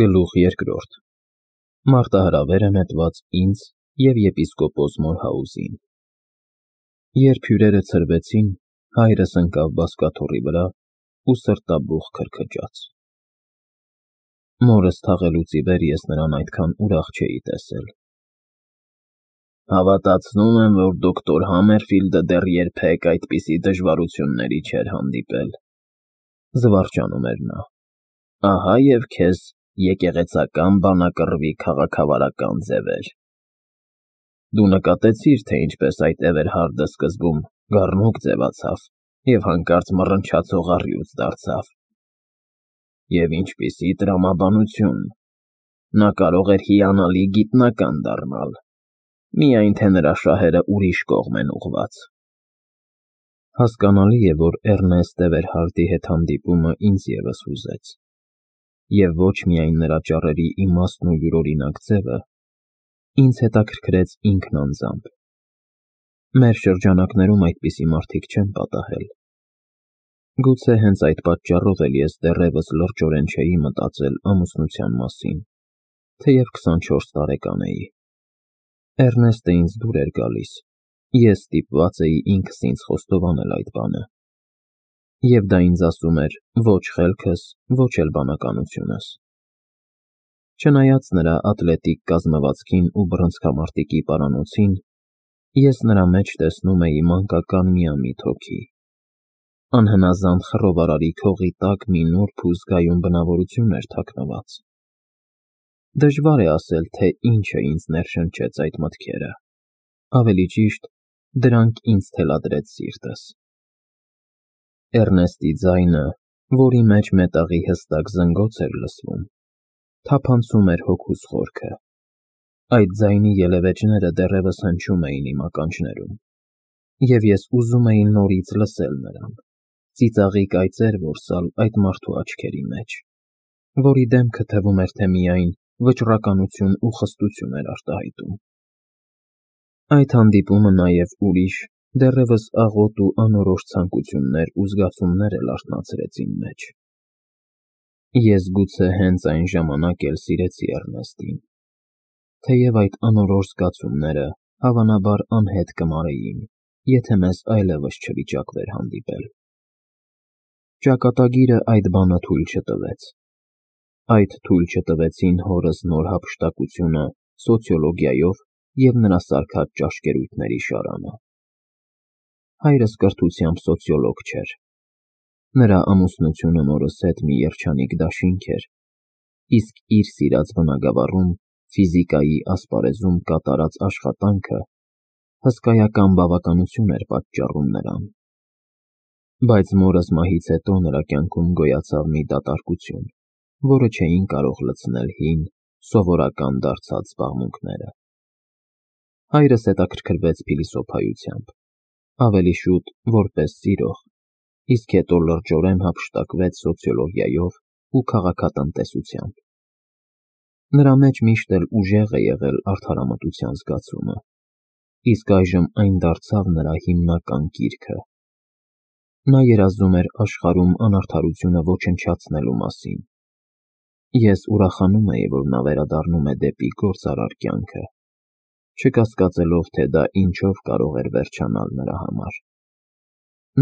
Գլուխ երկրորդ Մարտահրավերը նետված ինձ և եպիսկոպոս Մորհաուզին։ Երբ հյուրերը ցրվեցին, հայրս ընկավ բազկաթոռի վրա ու սրտաբուխ քրքջաց։ Մորս թաղելուց ի վեր ես նրան այդքան ուրախ չէի տեսել։ Հավատացնում եմ, որ դոկտոր Համերֆիլդը դեռ երբեք այդպիսի դժվարությունների չէր հանդիպել, զվարճանում էր նա։ Ահա և քեզ եկեղեցական բանակռվի քաղաքավարական ձևեր։ Դու նկատեցիր, թե ինչպես այդ Էվերհարդը սկզբում գառնուկ ձևացավ և հանկարծ մռնչացող առյուծ դարձավ։ Եվ ինչպիսի տրամաբանություն, նա կարող էր հիանալի գիտնական դառնալ, միայն թե նրա շահերը ուրիշ կողմ են ուղղված։ Հասկանալի է, որ Էռնեստ Էվերհարդի հետ հանդիպումը ինձ ևս հուզեց, և ոչ միայն նրա ճառերի իմաստն ու յուրօրինակ ձևը, ինձ հետաքրքրեց ինքն անձամբ։ Մեր շրջանակներում այդպիսի մարդիկ չեն պատահել։ Գուցե հենց այդ պատճառով էլ ես դեռևս լրջորեն չէի մտածել ամուսնության մասին, թեև 24 տարեկան էի։ Էռնեստը ինձ դուր էր գալիս, ես ստիպված էի ինքս ինձ խոստովանել այդ բանը։ Եվ դա ինձ ասում էր ոչ խելքս, ոչ էլ բանականությունս։ Չնայած նրա ատլետիկ կազմվածքին ու բռնցքամարտիկի պարանոցին, ես նրա մեջ տեսնում էի մանկական միամիտ հոգի։ Անհնազանդ խռովարարի քողի տակ մի նուրբ ու զգայուն բնավորություն էր թաքնված։ Դժվար է ասել, թե ինչը ինձ ներշնչեց այդ մտքերը, ավելի ճիշտ, դրանք ինձ թելադրեց սիրտս։ Էռնեստի ձայնը, որի մեջ մետաղի հստակ զնգոց էր լսվում, թափանցում էր հոգուս խորքը։ Այդ ձայնի ելևէջները դեռևս հնչում էին իմ ականջներում, և ես ուզում էի նորից լսել նրան, ծիծաղիկ այծեր որսալ այդ մարդու աչքերի մեջ, որի դեմքը թվում էր, թե միայն վճռականություն ու խստություն էր արտահայտում։ Այդ հանդիպումը նաև ուրիշ, դեռևս աղոտ ու անորոշ ցանկություններ ու զգացումներ էլ արթնացրեց իմ մեջ։ Ես գուցե հենց այն ժամանակ էլ սիրեցի Էռնեստին, թեև այդ անորոշ զգացումները հավանաբար անհետ կմարեին, եթե մեզ այլևս չվիճակվեր հանդիպել։ Ճակատագիրը այդ բանը թույլ չտվեց։ Այդ թույլ չտվեցին հորս նոր հափշտակությունը սոցիոլոգիայով և նրա սարքած ճաշկերույթների շարանը։ Հայրս կրթությամբ սոցիոլոգ չէր։ Նրա ամուսնությունը մորս հետ մի երջանիկ դաշինք էր, իսկ իր սիրած բնագավառում ֆիզիկայի ասպարեզում կատարած աշխատանքը հսկայական բավականություն էր պատճառում նրան։ Բայց մորս մահից հետո նրա կյանքում գոյացավ մի դատարկություն, որը չէին կարող լցնել հին, սովորական դարձած զբաղմունքները։ Հայրս հետաքրքրվեց փիլիսոփայությամբ, ավելի շուտ որպես սիրող, իսկ հետո լրջորեն հափշտակվեց սոցիոլոգիայով ու քաղաքատնտեսությամբ։ Նրա մեջ միշտ էլ ուժեղ է եղել արդարամտության զգացումը, իսկ այժմ այն դարձավ նրա հիմնական կիրքը։ Նա երազում էր աշխարհում անարդարությունը ոչնչացնելու մասին։ Ես ուրախանում էի, որ նա վերադառնում է դեպի գործարար կյանքը, չկասկածելով, թե դա ինչով կարող էր վերջանալ նրա համար։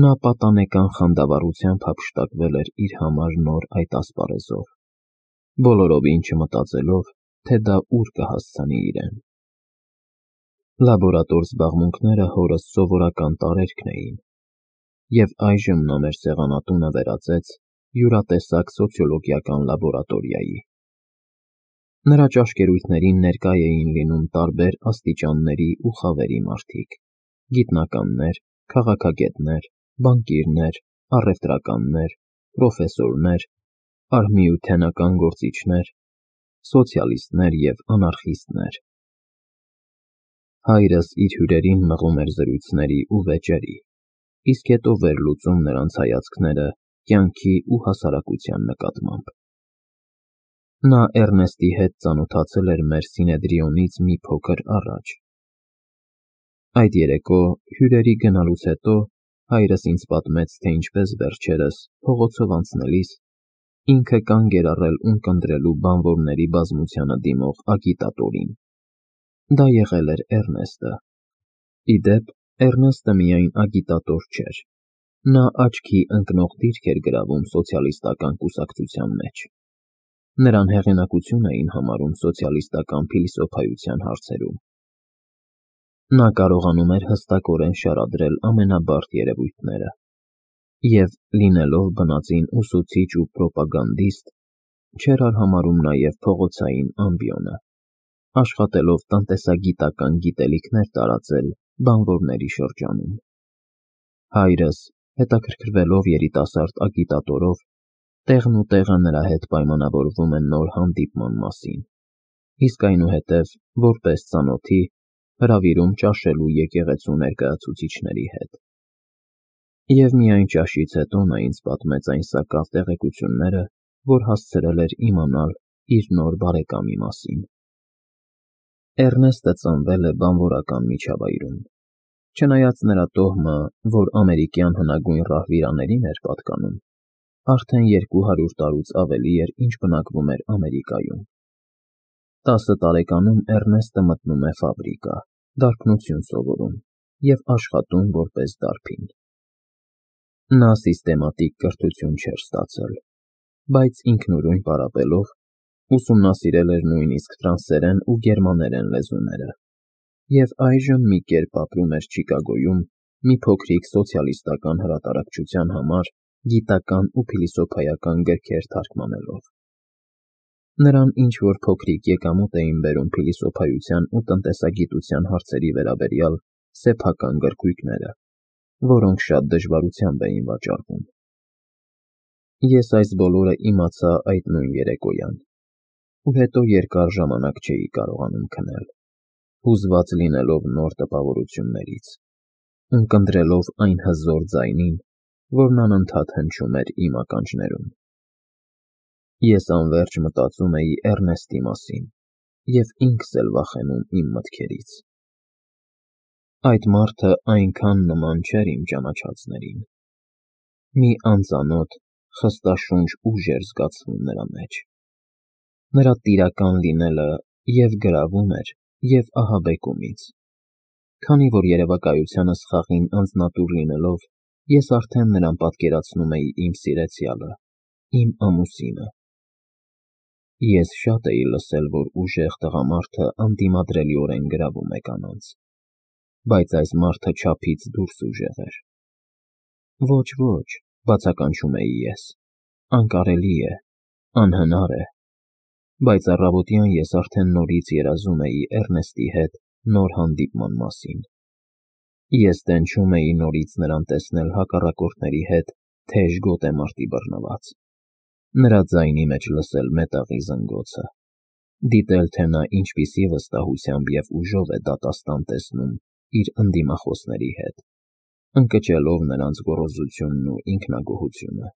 Նա պատանեկան խանդավառությամբ հափշտակվել էր իր համար նոր այդ ասպարեզով, բոլորովին չմտածելով, թե դա ուր կհասցնի իրեն։ Լաբորատոր զբաղմունքները հորս սովորական տարերքն էին, և այժմ նա մեր սեղանատունը վերածեց յուրատեսակ սոցիոլոգիական լաբորատորիայի։ Նրա ճաշկերույթներին ներկա էին լինում տարբեր աստիճանների ու խավերի մարդիկ՝ գիտնականներ, քաղաքագետներ, բանկիրներ, առևտրականներ, պրոֆեսորներ, արհմիութենական գործիչներ, սոցիալիստներ և անարխիստներ։ Հայրս իր հյուրերին մղում էր զրույցների ու վեճերի, իսկ հետո վերլուծում նրանց հայացքները կյանքի ու հասարակության նկատմամբ։ Նա Էռնեստի հետ ծանոթացել էր մեր Սինեդրիոնից մի փոքր առաջ։ Այդ երեկո հյուրերի գնալուց հետո հայրս ինձ պատմեց, թե ինչպես վերջերս, փողոցով անցնելիս, Ինքը կանգ էր առել ունկնդրելու բանվորների բազմությանը դիմող ագիտատորին։ Դա եղել էր Էռնեստը։ Ի դեպ, Էռնեստը միայն ագիտատոր չէր։ Նա աչքի ընկնող դիրք էր գրավում սոցիալիստական կուսակցության մեջ։ Նրան հեղինակություն էին համարում սոցիալիստական փիլիսոփայության հարցերում։ Նա կարողանում էր հստակորեն շարադրել ամենաբարդ երևույթները և, լինելով բնածին ուսուցիչ ու պրոպագանդիստ, չէր արհամարհում նաև փողոցային ամբիոնը, աշխատելով տնտեսագիտական գիտելիքներ տարածել բանվորների շրջանում։ Հայրս, հետաքրքրվելով երիտասարդ ագիտատորով, տեղն ու տեղը նրա հետ պայմանավորվում են նոր հանդիպման մասին, իսկ այնուհետև, որպես ծանոթի, հրավիրում ճաշելու եկեղեցու ներկայացուցիչների հետ։ Եվ միայն ճաշից հետո նա ինձ պատմեց այն սակավ տեղեկությունները, որ հասցրել էր իմանալ իր նոր բարեկամի մասին։ Էռնեստը ծնվել է բանվորական միջավայրում։ Չնայած նրա տոհմը, որ ամերիկյան հնագույն ռահվիրաներին էր պատկանում, արդեն 200 տարուց ավելի էր, ինչ բնակվում էր Ամերիկայում։ 10 տարեկանում Էռնեստը մտնում է ֆաբրիկա, դարբնություն սովորում և աշխատում որպես դարբին։ Նա սիստեմատիկ կրթություն չէր ստացել, բայց ինքնուրույն պարապելով ուսումնասիրել էր նույնիսկ ֆրանսերեն ու գերմաներեն լեզուները և այժմ մի կերպ ապրում էր Չիկագոյում մի փոքրիկ սոցիալիստական հրատարակչության համար գիտական ու փիլիսոփայական գրքեր թարգմանելով։ Նրան ինչ-որ փոքրիկ եկամուտ էին բերում փիլիսոփայության ու տնտեսագիտության հարցերի վերաբերյալ սեփական գրքույկները, որոնք շատ դժվարությամբ էին վաճառվում։ Ես այս բոլորը իմացա այդ նույն երեկոյան, ու հետո երկար ժամանակ չէի կարողանում քնել, հուզված լինելով նոր տպավորություններից, ունկնդրելով այն հզոր ձայնին, որն անընդհատ հնչում էր իմ ականջներում։ Ես անվերջ մտածում էի Էռնեստի մասին և ինքս էլ վախենում իմ մտքերից։ Այդ մարդը այնքան նման չէր իմ ճանաչածներին։ Մի անծանոթ, խստաշունչ ուժ էր զգացվում նրա մեջ։ Նրա տիրական լինելը և գրավում էր, և ահաբեկում ինձ։ Քանի որ երևակայությանս խաղին անձնատուր լինելով, ես արդեն նրան պատկերացնում էի իմ սիրեցյալը, իմ ամուսինը։ Ես շատ էի լսել, որ ուժեղ տղամարդը անդիմադրելիորեն գրավում է կանանց, բայց այս մարդը չափից դուրս ուժեղ էր։ Ոչ, ոչ, բացականչում էի ես, անկարելի է, անհնար է, բայց առավոտյան ես արդեն նորից երազում էի Էռնեստի հետ նոր հանդիպման մասին։ Ես տենչում էի նորից նրան տեսնել հակառակորդների հետ թեժ գոտեմարտի բռնված, նրա ձայնի մեջ լսել մետաղի զնգոցը, դիտել, թե նա ինչպիսի վստահությամբ և ուժով է դատաստան տեսնում իր ընդդիմախոսների հետ, ընկճելով նրանց գոռոզությունն ու ինքնագոհությունը,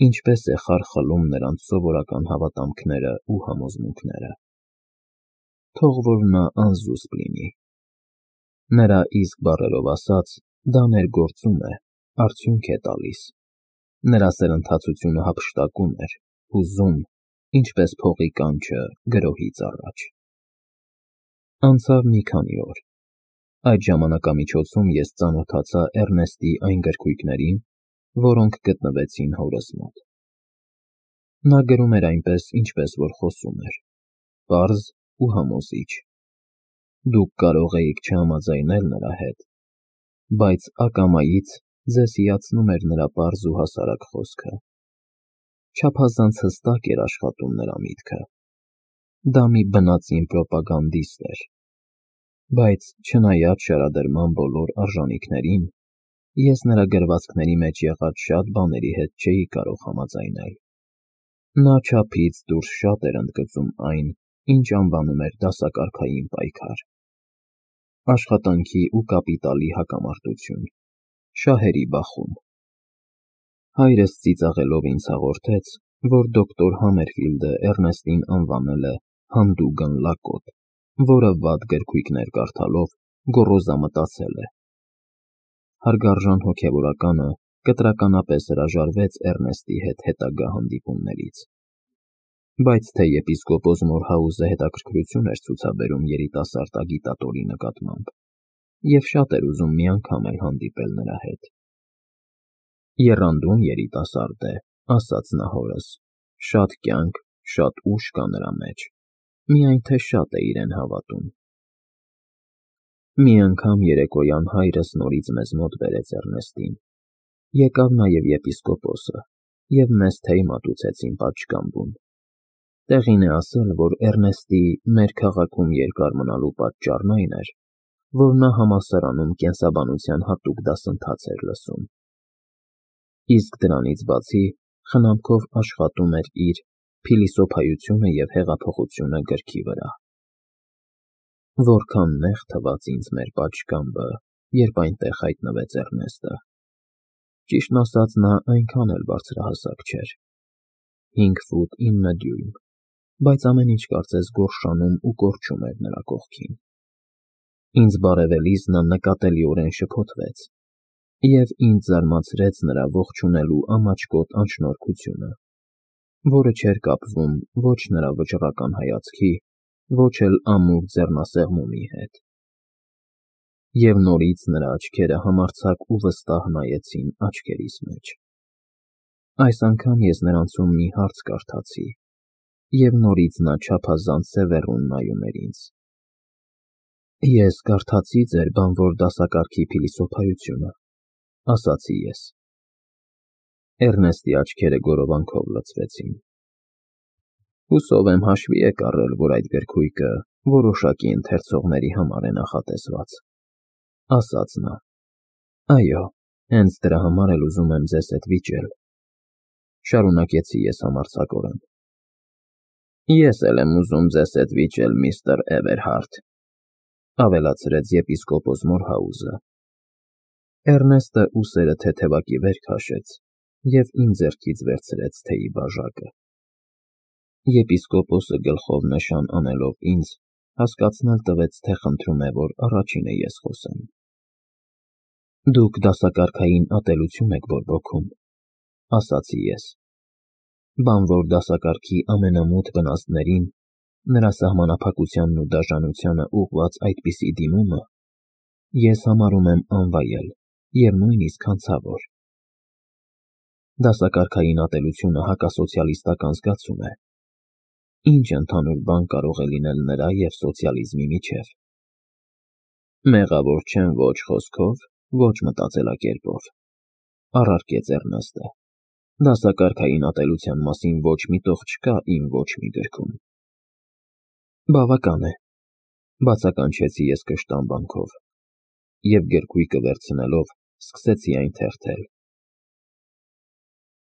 ինչպես է խարխլում նրանց սովորական հավատամքները ու համոզմունքները։ Թող որ նա անզուսպ լինի։ Նրա իսկ բառերով ասած, դա ներգործում է, արդյունք է տալիս։ Նրա սրընթացությունը հափշտակում էր, հուզում, ինչպես փողի կանչը գրոհից առաջ։ Անցավ մի քանի օր։ Այդ ժամանակամիջոցում ես ծանոթացա Էռնեստի այն գրքույկներին, որոնք գտնվեցին հորս մոտ։ Նա գրում էր այնպես, ինչպես որ խոսում էր, պարզ ու համոզիչ։ Դուք կարող էիք չհամաձայնել նրա հետ, բայց ակամայից ձեզ հիացնում էր նրա պարզ ու հասարակ խոսքը։ Չափազանց հստակ էր աշխատում նրա միտքը։ Դա մի բնածին պրոպագանդիստ էր։ Բայց չնայած շարադրման բոլոր արժանիքներին, ես նրա գրվածքների մեջ եղած շատ բաների հետ չէի կարող համաձայնել։ Նա չափից դուրս շատ էր ընդգծում այն, ինչ անվանում էր դասակարգային պայքար, աշխատանքի ու կապիտալի հակամարտություն, շահերի բախում։ Հայրս ծիծաղելով ինձ հաղորդեց, որ դոկտոր Համերֆիլդը Էռնեստին անվանել է հանդուգն լակոտ, որը վատ գրքույկներ կարդալով գոռոզամտածել է։ Հարգարժան հոգևորականը կտրականապես հրաժարվեց Էռնեստի հետ հետագա հանդիպումներից։ Բայց թե եպիսկոպոս Մորհաուզը հետաքրքրություն էր ցուցաբերում երիտասարդ ագիտատորի նկատմամբ, և շատ էր ուզում մի անգամ էլ հանդիպել նրա հետ։ Եռանդուն երիտասարդ է, ասաց նա հորս, շատ կյանք, շատ ուժ կա նրա մեջ, միայն թե շատ է իրեն հավատում։ Մի անգամ երեկոյան հայրս նորից մեզ մոտ բերեց Էռնեստին։ Եկավ նաև եպիսկոպոսը, և մեզ թեյ մատուցեցին պատշգամբում։ Տեղին է ասել, որ Էռնեստի մեր քաղաքում երկար մնալու պատճառն այն էր, որ նա համալսարանում կենսաբանության հատուկ դասընթաց էր լսում։ Իսկ դրանից բացի խնամքով աշխատում էր իր «Փիլիսոփայությունը և հեղափոխությունը» գրքի վրա։ Որքան նեղ թվաց ինձ մեր պատշգամբը, երբ այնտեղ հայտնվեց Էռնեստը։ Ճիշտն ասած, նա այնքան էլ բարձրահասակ չէր, 5 ֆուտ 9 դյույմ, բայց ամեն ինչ կարծես գորշանում ու կորչում էր նրա կողքին։ Ինձ բարևելիս նա նկատելիորեն շփոթվեց, և ինձ զարմացրեց նրա ողջունելու ամաչկոտ անշնորհքությունը, որը չէր կապվում ոչ նրա վճռական հայացքի, ոչ էլ ամուր ձեռնասեղմումի հետ։ Եվ նորից նրա աչքերը համարձակ ու վստահ նայեցին աչքերիս մեջ։ Այս անգամ ես նրանցում մի հարց կարդացի, և նորից նա չափազանց սևեռուն նայում էր ինձ։ Ես կարդացի ձեր բանվոր դասակարգի փիլիսոփայությունը, ասացի ես։ Էռնեստի աչքերը գորովանքով լցվեցին։ Հուսով եմ հաշվի եք առել, որ այդ գրքույկը որոշակի ընթերցողների համար է նախատեսված, ասաց նա։ Այո, հենց դրա համար էլ ուզում եմ ձեզ հետ վիճել, շարունակեցի ես համարձակորեն։ Ես էլ եմ ուզում ձեզ հետ վիճել, միստր Էվերհարդ, ավելացրեց եպիսկոպոս Մորհաուզը։ Էռնեստը ուսերը թեթևակի վեր քաշեց և ինձ ձեռքից վերցրեց թեյի բաժակը։ Եպիսկոպոսը գլխով նշան անելով ինձ, հասկացնել տվեց, թե խնդրում է, որ առաջինը ես խոսեմ։ Դուք դասակարգային ատելություն եք բորբոքում, ասացի ես։ Բանվոր դասակարգի ամենամութ վնասներին, նրա սահմանափակությանն ու դաժանությանը ուղղված այդպիսի դիմումը ես համարում եմ անվայել և նույնիսկ հանցավոր։ Դասակարգային ատելությունը հակասոցիալիստական զգացում է։ Ինչ ընդհանուր բան կարող է լինել նրա և սոցիալիզմի միջև։ Մեղավոր չեմ ոչ խոսքով, ոչ մտածելակերպով, առարկեց Էռնեստը։ Դասակարգային ատելության մասին ոչ մի տող չկա իմ ոչ մի գրքում։ Բավական է, բացականչեցի ես կշտամբանքով, և գրքույկը վերցնելով սկսեցի այն թերթել։